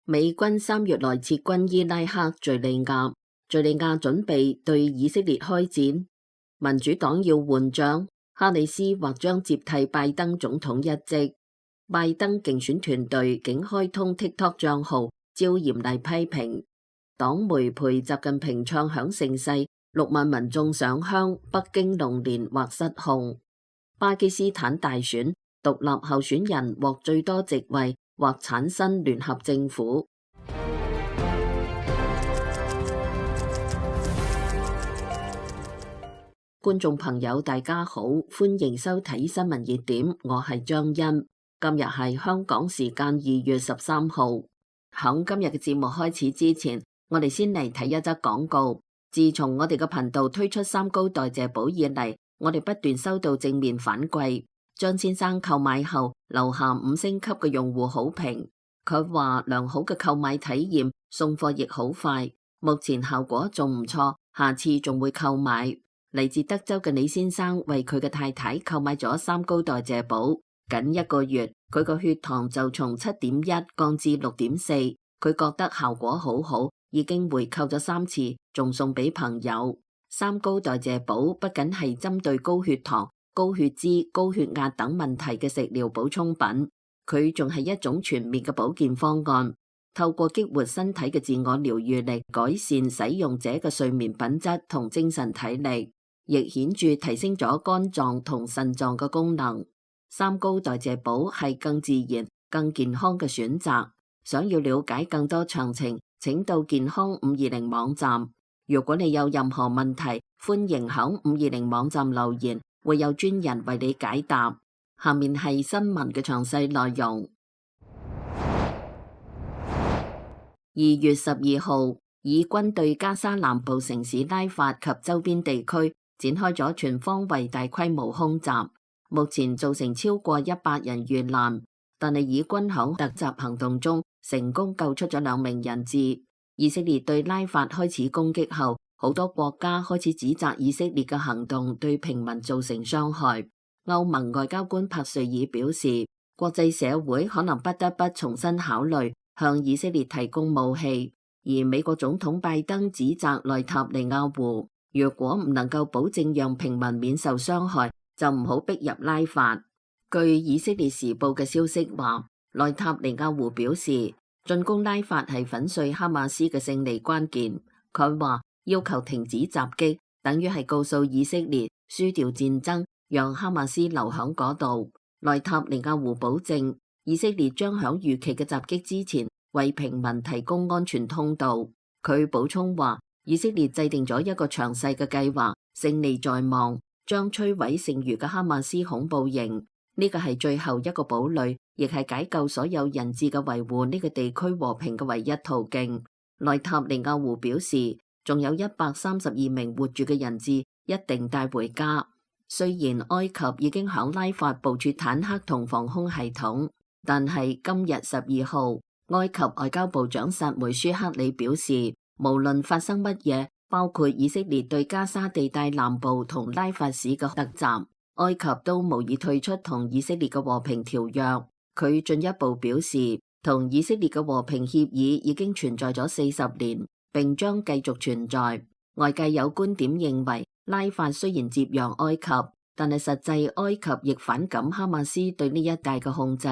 美軍3月內撤軍伊拉克、敘利亞，敘利亞準備對以色列開戰。民主黨要換將，哈里斯或將接替拜登總統一職。拜登競選團隊竟開通 TikTok 賬號，遭嚴厲批評。黨媒陪習近平唱響盛世，6萬民眾上香，北京龍年或失控。巴基斯坦大選，獨立候選人獲最多席位，或產生聯合政府。觀眾朋友大家好，歡迎收睇新聞熱點，我係張欣。今日係香港時間2月13號。響今日嘅節目開始之前，我哋先嚟睇一則廣告。自從我哋嘅頻道推出3高代謝寶以嚟，我哋不斷收到正面反饋。張先生購買後留下5星級嘅用戶好評，佢話良好嘅購買體驗，送貨亦好快，目前效果仲唔錯，下次仲會購買。嚟自德州嘅李先生為佢嘅太太購買咗3高代謝寶，僅1個月佢個血糖就從7.1降至6.4，佢覺得效果好好，已經回購咗3次，仲送俾朋友。3高代謝寶不僅係針對高血糖、高血脂、高血壓等問題嘅食療補充品，佢仲係一種全面嘅保健方案，透過激活身體嘅自我療癒力，改善使用者嘅睡眠品質同精神體力，亦顯著提升咗肝臟同腎臟嘅功能。3高代謝寶係更自然、更健康嘅選擇。想要了解更多詳情，請到健康520網站。如果你有任何問題，歡迎響520網站留言，會有專人為你解答。下面係新聞嘅詳細內容。2月12號，以軍對加沙南部城市拉法及周邊地區展開咗全方位大規模空襲，目前造成超過100人遇難，但係以軍響突襲行動中成功救出咗2名人質。以色列對拉法開始攻擊後，好多國家開始指責以色列嘅行動對平民造成傷害。歐盟外交官帕瑞爾表示，國際社會可能不得不重新考慮向以色列提供武器。而美國總統拜登指責內塔尼亞胡，如果唔能夠保證讓平民免受傷害，就唔好逼入拉法。據以色列時報嘅消息話，內塔尼亞胡表示，進攻拉法係粉碎哈馬斯嘅勝利關鍵。佢話要求停止襲擊，等於係告訴以色列輸掉戰爭，讓哈馬斯留響嗰度。內塔尼亞胡保證，以色列將響預期嘅襲擊之前為平民提供安全通道。佢補充話，以色列制定咗一個詳細嘅計劃，勝利在望，將摧毀剩餘嘅哈馬斯恐怖營。呢個係最後一個堡壘，亦係解救所有人質嘅維護呢個地區和平嘅唯一途徑。內塔尼亞胡表示，仲有132名活住嘅人質一定帶回家。雖然埃及已經響拉法部署坦克同防空系統，但係今日12號，埃及外交部長薩梅舒克里表示，無論發生乜嘢，包括以色列對加沙地帶南部同拉法市嘅突襲，埃及都無意退出同以色列嘅和平條約。佢進一步表示，同以色列嘅和平協議已經存在咗40年，並將繼續存在。外界有觀點認為，拉法雖然接壤埃及，但係實際埃及亦反感哈馬斯對呢一帶嘅控制，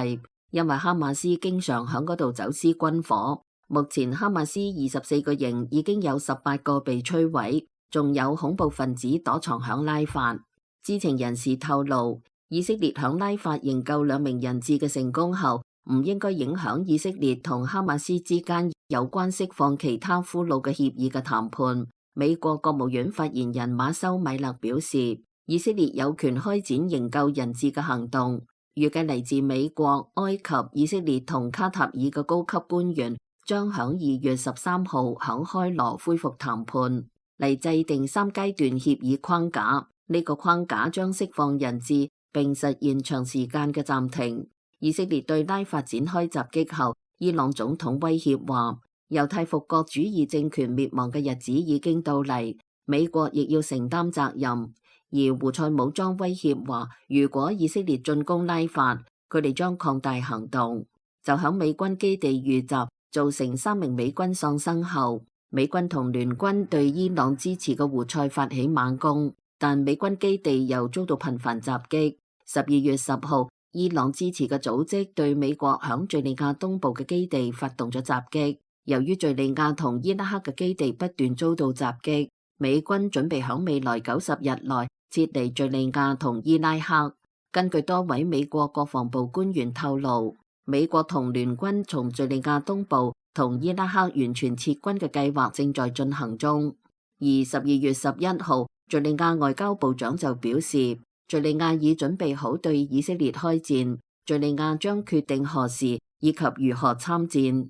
因為哈馬斯經常響嗰度走私軍火。目前哈馬斯24個營已經有18個被摧毀，仲有恐怖分子躲藏響拉法。知情人士透露，以色列響拉法營救2名人質嘅成功後，唔應該影響以色列同哈馬斯之間有關釋放其他俘虜嘅協議嘅談判。美國國務院發言人馬修米勒表示，以色列有權開展營救人質嘅行動。預計嚟自美國、埃及、以色列同卡塔爾嘅高級官員將響2月13號響開羅恢復談判，嚟制定3階段協議框架。呢個框架將釋放人質，並實現長時間嘅暫停。以色列對拉法展開襲擊後，伊朗總統威脅話，猶太復國主義政權滅亡嘅日子已經到嚟，美國亦要承擔責任。而胡塞武裝威脅話，如果以色列進攻拉法，佢哋將擴大行動。就響美軍基地遇襲，造成3名美軍喪生後，美軍同聯軍對伊朗支持嘅胡塞發起猛攻，但美軍基地又遭到頻繁襲擊。12月10號，伊朗支持嘅組織對美國響敘利亞東部嘅基地發動咗襲擊。由於敘利亞同伊拉克嘅基地不斷遭到襲擊，美軍準備響未來90日內撤離敘利亞同伊拉克。根據多位美國國防部官員透露，美國同聯軍從敘利亞東部同伊拉克完全撤軍嘅計劃正在進行中。而12月11號，敘利亞外交部長就表示，敘利亞已準備好對以色列開戰，敘利亞將決定何時以及如何參戰。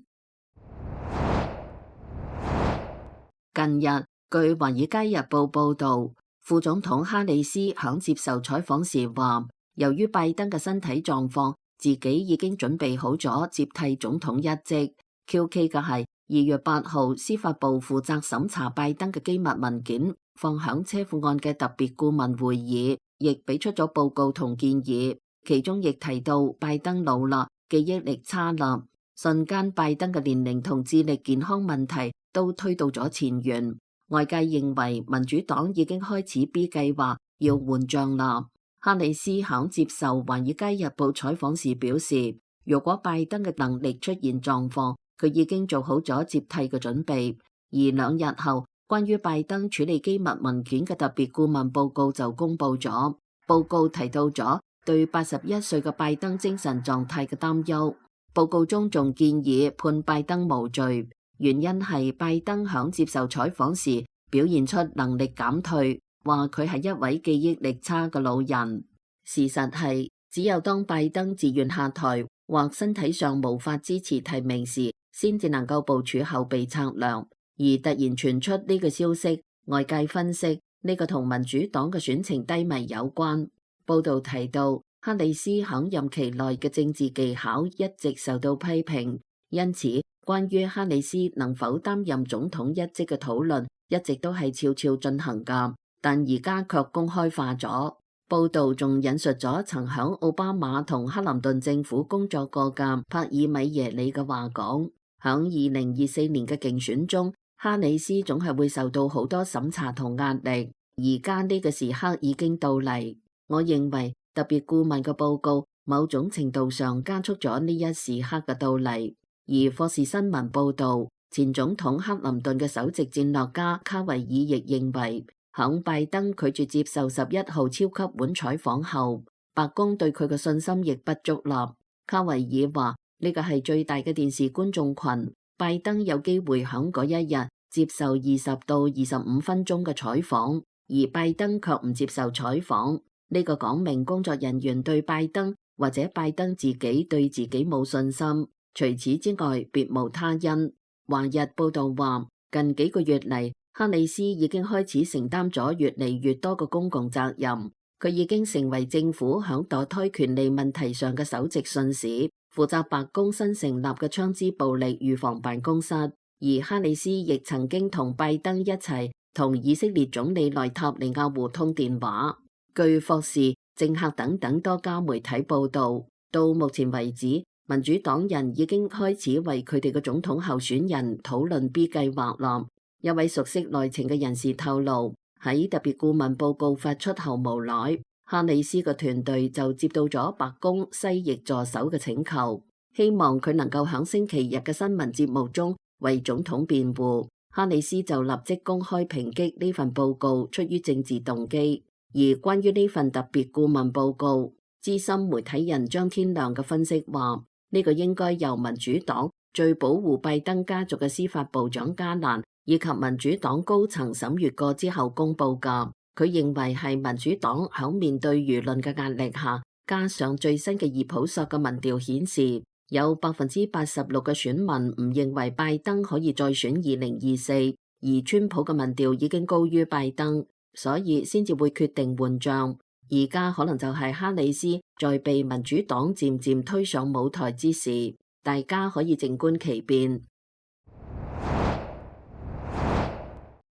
近日，據《華爾街日報》報導，副總統哈里斯響接受採訪時話，由於拜登嘅身體狀況，自己已經準備好咗接替總統一職。QK 嘅係2月8號，司法部負責審查拜登嘅機密文件放響車庫案嘅特別顧問會議，亦俾出咗報告同建議，其中亦提到拜登老啦，記憶力差啦，瞬間拜登嘅年齡同智力健康問題都推到咗前緣。外界認為民主黨已經開始 B 計劃，要換將啦。哈里斯響接受《華爾街日報》採訪時表示，如果拜登嘅能力出現狀況，佢已經做好咗接替嘅準備。而2日後，關於拜登處理機密文件嘅特別顧問報告就公布咗。報告提到咗對81歲嘅拜登精神狀態嘅擔憂。報告中仲建議判拜登無罪，原因係拜登響接受採訪時表現出能力減退，話佢係一位記憶力差嘅老人。事實係，只有當拜登自願下台或身體上無法支持提名時，先至能夠部署後備策略。而突然傳出呢個消息，外界分析呢個同民主黨嘅選情低迷有關。報道提到，哈里斯響任期內嘅政治技巧一直受到批評，因此關於哈里斯能否擔任總統一職嘅討論一直都係悄悄進行㗎，但而家卻公開化咗。報道仲引述咗曾響奧巴馬同克林頓政府工作過嘅帕爾米耶里嘅話講，響2024年嘅競選中，哈里斯總係會受到好多審查同壓力，而家呢個時刻已經到嚟。我認為特別顧問嘅報告某種程度上加速咗呢一時刻嘅到嚟。而霍士新聞報導，前總統克林頓嘅首席戰略家卡維爾亦認為，響拜登拒絕接受11號超級碗採訪後，白宮對佢嘅信心亦不足啦。卡維爾話：呢個係最大嘅電視觀眾群，拜登有機會響嗰一日接受20到25分鐘嘅採訪，而拜登卻唔接受採訪。呢個講明工作人員對拜登或者拜登自己對自己冇信心。除此之外，別無他因。華日報道話，近幾個月嚟，哈里斯已經開始承擔咗越嚟越多嘅公共責任。佢已經成為政府響墮胎權利問題上嘅首席信使，負責白宮新成立嘅槍支暴力預防辦公室。而哈里斯亦曾經同拜登一齊同以色列總理內塔尼亞胡通電話。據霍士、政客等等多家媒體報道，到目前為止，民主黨人已經開始為佢哋嘅總統候選人討論 B 計劃啦。一位熟悉內情嘅人士透露，喺特別顧問報告發出後無耐，哈里斯嘅團隊就接到咗白宮西翼助手嘅請求，希望佢能夠喺星期日嘅新聞節目中為總統辯護。哈里斯就立即公開抨擊呢份報告出於政治動機。而關於呢份特別顧問報告，資深媒體人張天亮嘅分析話，呢個應該由民主黨最保護拜登家族嘅司法部長加蘭以及民主黨高層審閱過之後公佈㗎。佢認為係民主黨喺面對輿論嘅壓力下，加上最新嘅熱普索嘅民調顯示，有86%嘅選民唔認為拜登可以再選2024，而川普嘅民調已經高於拜登，所以先至會決定換將。而家可能就係哈里斯在被民主黨漸漸推上舞台之時，大家可以靜觀其變。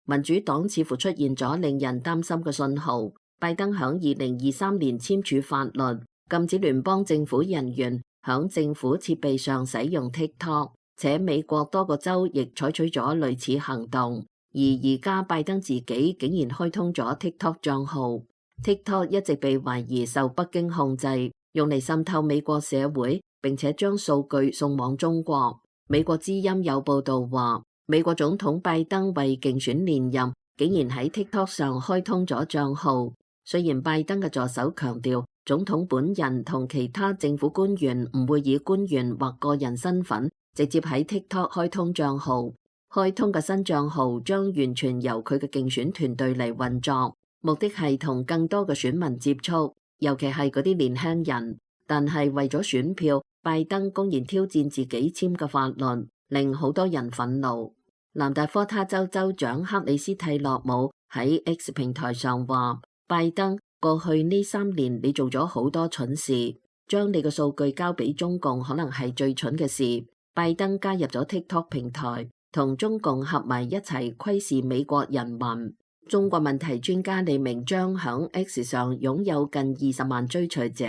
民主黨似乎出現咗令人擔心嘅信號，拜登響2023年簽署法律，禁止聯邦政府人員響政府設備上使用 TikTok。且美國多個州亦採取咗類似行動。而家拜登自己竟然開通咗 TikTok 賬號。TikTok 一直被懷疑受北京控制，用嚟滲透美國社會，並且將數據送往中國。美國之音有報道話，美國總統拜登為競選連任，竟然喺 TikTok 上開通咗賬號。雖然拜登嘅助手強調，總統本人同其他政府官員唔會以官員或個人身份直接喺 TikTok 開通賬號。開通嘅新賬號將完全由佢嘅競選團隊嚟運作，目的係同更多嘅選民接觸，尤其係嗰啲年輕人。但係為咗選票，拜登公然挑戰自己簽嘅法律，令好多人憤怒。南達科他州州長克里斯蒂洛姆喺 X 平台上話，拜登，過去呢3年你做咗好多蠢事，將你嘅數據交俾中共可能係最蠢嘅事。拜登加入咗 TikTok 平台，同中共合埋一齊窺視美國人民。中國問題專家李明章響 X 上擁有近20萬追隨者，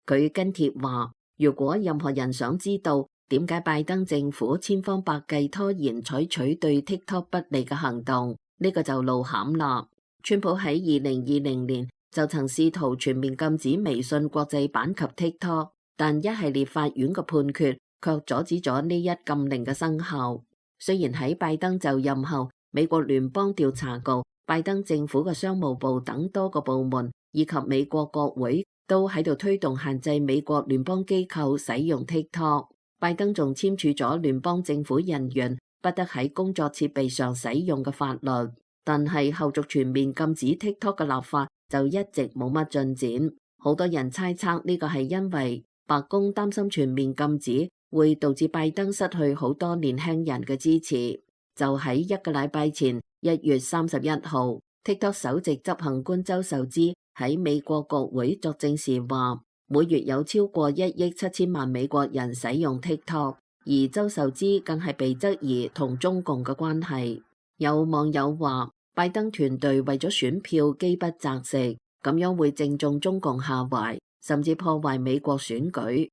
佢跟帖話，如果任何人想知道點解拜登政府千方百計拖延採取對 TikTok 不利嘅行動，呢個就露餡啦。川普喺2020年就曾試圖全面禁止微信國際版及 TikTok， 但一系列法院嘅判決卻阻止咗呢一禁令嘅生效。雖然喺拜登就任後，美國聯邦調查局、拜登政府嘅商務部等多個部門以及美國國會都喺度推動限制美國聯邦機構使用 TikTok。拜登仲簽署咗聯邦政府人員不得喺工作設備上使用嘅法律，但係後續全面禁止 TikTok 嘅立法就一直冇乜進展。好多人猜測呢個係因為白宮擔心全面禁止會導致拜登失去好多年輕人嘅支持。就喺1個禮拜前，1月31號 ，TikTok 首席執行官周受資喺美國國會作證時話，每月有超過1億7千萬美國人使用 TikTok， 而周受資更係被質疑同中共嘅關係。有網友話，拜登團隊為咗選票飢不擇食，咁樣會正中中共下懷，甚至破壞美國選舉。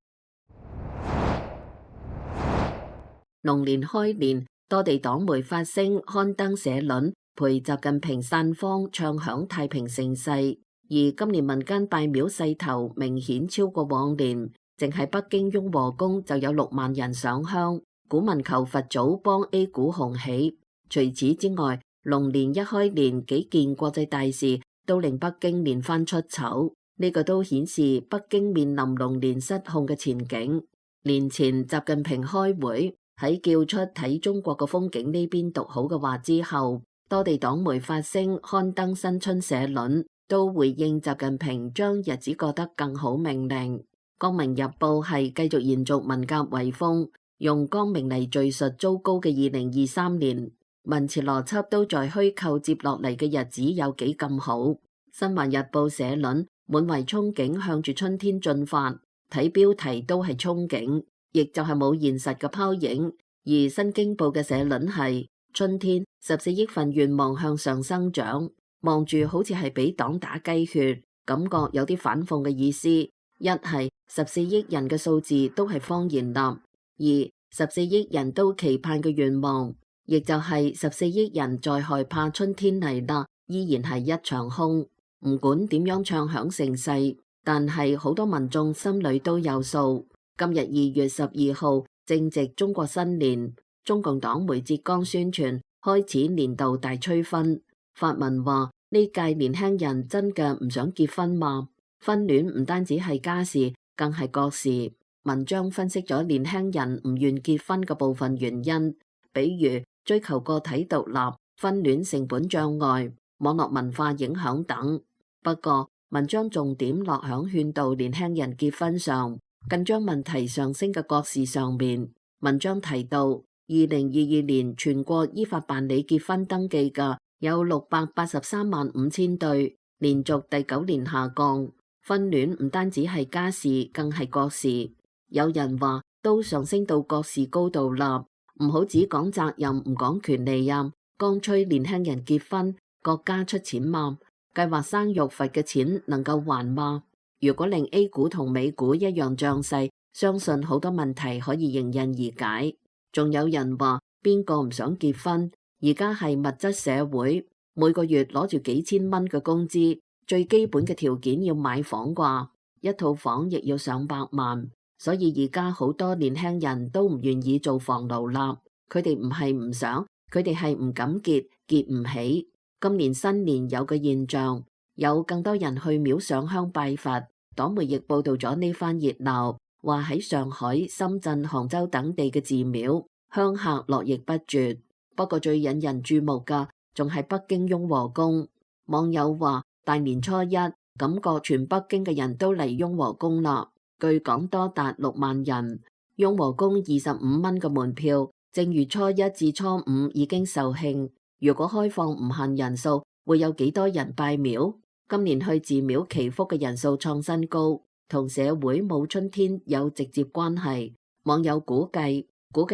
龍年開年，多地黨媒發聲刊登社論，陪習近平散芳唱響太平盛世。而今年民間拜廟勢頭明顯超過往年，淨係北京雍和宮就有6萬人上香，股民求佛祖幫 A 股紅起。除此之外，龍年一開年，幾件國際大事都令北京連番出醜，呢個都顯示北京面臨龍年失控嘅前景。年前習近平開會，喺叫出睇中國嘅風景呢邊獨好嘅話之後，多地黨媒發聲刊登新春社論，都回應習近平將日子過得更好命令。光明日報係繼續延續文革遺風，用光明嚟敘述糟糕嘅2023年，文詞邏輯都在虛構接落嚟嘅日子有幾咁好。新華日報社論滿懷憧憬向住春天進發，睇標題都係憧憬，亦就係冇現實嘅拋影。而新京報嘅社論係春天14億份願望向上生長，望住好似係俾黨打雞血，感覺有啲反諷嘅意思。一係14億人嘅數字都係謊言啦，二14億人都期盼嘅願望，亦就係14億人在害怕春天嚟啦，依然係一場空。唔管點樣唱響盛世，但係好多民眾心裏都有數。今日2月12號正值中國新年，中共黨媒浙江宣傳開始年度大催婚。發文話呢屆年輕人真嘅唔想結婚嘛？婚戀唔單止係家事，更係國事。文章分析咗年輕人唔願結婚嘅部分原因，比如追求個體獨立、婚戀成本障礙、網絡文化影響等。不過文章重點落響勸導年輕人結婚上，更將問題上升嘅國事上面。文章提到，2022年全國依法辦理結婚登記嘅有683萬5千對，連續第9年下降。婚戀唔單止係家事，更係國事。有人話都上升到國事高度啦，唔好只講責任唔講權利啊！剛催年輕人結婚，國家出錢嘛？計劃生育費嘅錢能夠還嗎？如果令 A 股同美股一樣漲勢，相信好多問題可以迎刃而解。仲有人話邊個唔想結婚？而家係物質社會，每個月攞住幾千蚊嘅工資，最基本嘅條件要買房啩，一套房亦要上百萬。所以而家好多年輕人都唔願意做房奴啦。佢哋唔係唔想，佢哋係唔敢結，結唔起。今年新年有個現象，有更多人去廟上香拜佛。黨媒亦報道咗呢番熱鬧，話喺上海、深圳、杭州等地嘅寺廟，香客絡繹不絕。不過最引人注目嘅仲係北京雍和宮。網友話大年初一，感覺全北京嘅人都嚟雍和宮啦。據講多達6萬人。雍和宮25蚊嘅門票，正月初一至初五已經售罄。如果開放唔限人數，會有幾多人拜廟？今年去寺廟祈福嘅人數創新高，同社會冇春天有直接關係。網友估計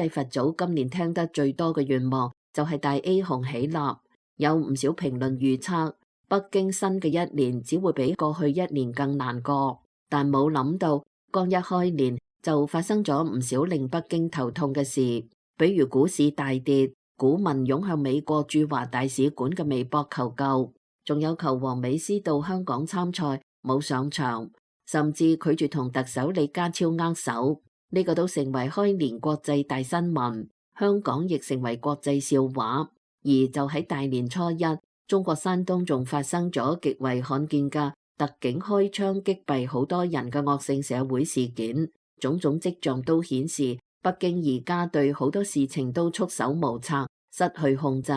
佛祖今年聽得最多嘅願望就係大 A 紅喜納。有唔少評論預測，北京新嘅一年只會比過去一年更難過。但冇諗到，剛一開年就發生咗唔少令北京頭痛嘅事，比如股市大跌，股民湧向美國駐華大使館嘅微博求救，仲有球王美斯到香港參賽冇上場，甚至拒絕同特首李家超握手，呢個都成為開年國際大新聞。香港亦成為國際笑話。而就喺大年初一，中國山東仲發生咗極為罕見嘅特警開槍擊斃好多人嘅惡性社會事件，種種跡象都顯示北京而家對好多事情都束手無策，失去控制。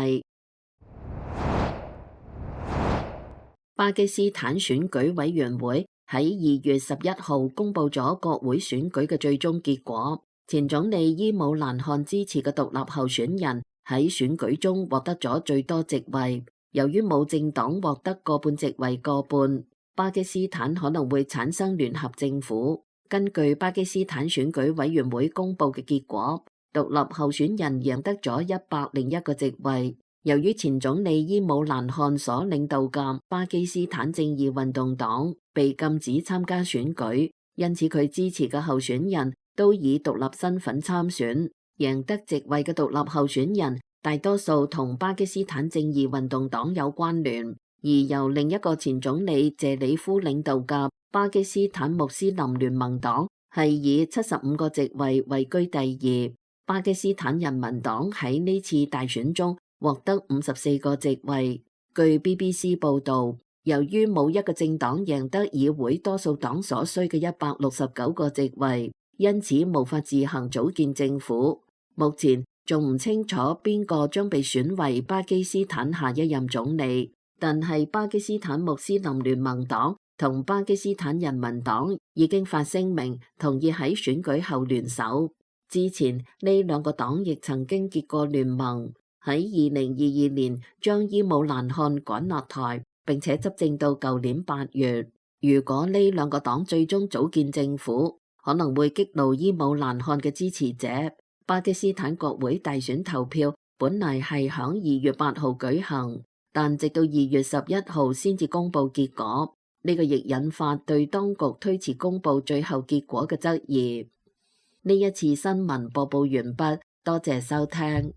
巴基斯坦選舉委員會喺2月11號公布咗國會選舉嘅最終結果，前總理伊姆蘭汗支持嘅獨立候選人喺選舉中獲得咗最多席位。由於冇政黨獲得過半席位過半，巴基斯坦可能會產生聯合政府。根據巴基斯坦選舉委員會公布嘅結果，獨立候選人贏得咗101個席位。由於前總理伊姆蘭汗所領導嘅巴基斯坦正義運動黨被禁止參加選舉，因此佢支持嘅候選人都以獨立身份參選。贏得席位嘅獨立候選人大多數同巴基斯坦正義運動黨有關聯，而由另一個前總理謝里夫領導嘅巴基斯坦穆斯林聯盟黨係以75個席位位居第二。巴基斯坦人民黨喺呢次大選中獲得54個席位。據 BBC 報導，由於冇一個政黨贏得議會多數黨所需嘅169個席位，因此無法自行組建政府。目前仲唔清楚邊個將被選為巴基斯坦下一任總理，但係巴基斯坦穆斯林聯盟黨同巴基斯坦人民黨已經發聲明，同意喺選舉後聯手。之前呢兩個黨亦曾經結過聯盟，喺2022年將伊姆蘭汗趕落台，並且執政到舊年8月。如果呢兩個黨最終組建政府，可能會激怒伊姆蘭汗嘅支持者。巴基斯坦國會大選投票本嚟係響2月8號舉行，但直到2月11號先至公佈結果。呢個亦引發對當局推遲公佈最後結果嘅質疑。呢一次新聞播報完畢，多謝收聽。